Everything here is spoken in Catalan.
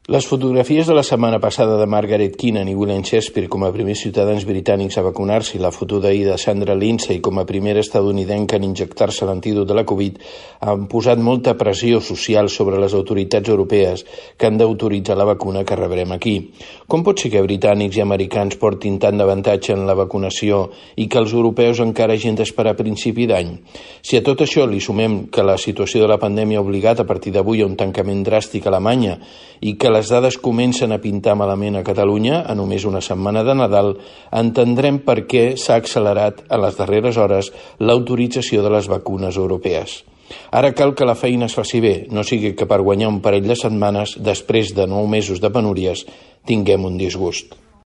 Les fotografies de la setmana passada de Margaret Keenan i William Shakespeare com a primers ciutadans britànics a vacunar-se i la foto d'ahir de Sandra Lindsay com a primera estatunidenca en injectar-se l'antídot de la Covid han posat molta pressió social sobre les autoritats europees que han d'autoritzar la vacuna que rebrem aquí. Com pot ser que britànics i americans portin tant d'avantatge en la vacunació i que els europeus encara hagin d'esperar a principi d'any? Si a tot això li sumem que la situació de la pandèmia ha obligat a partir d'avui a un tancament dràstic a Alemanya i que les dades comencen a pintar malament a Catalunya a només una setmana de Nadal, entendrem per què s'ha accelerat a les darreres hores l'autorització de les vacunes europees. Ara cal que la feina es faci bé, no sigui que per guanyar un parell de setmanes, després de 9 mesos de penúries, tinguem un disgust.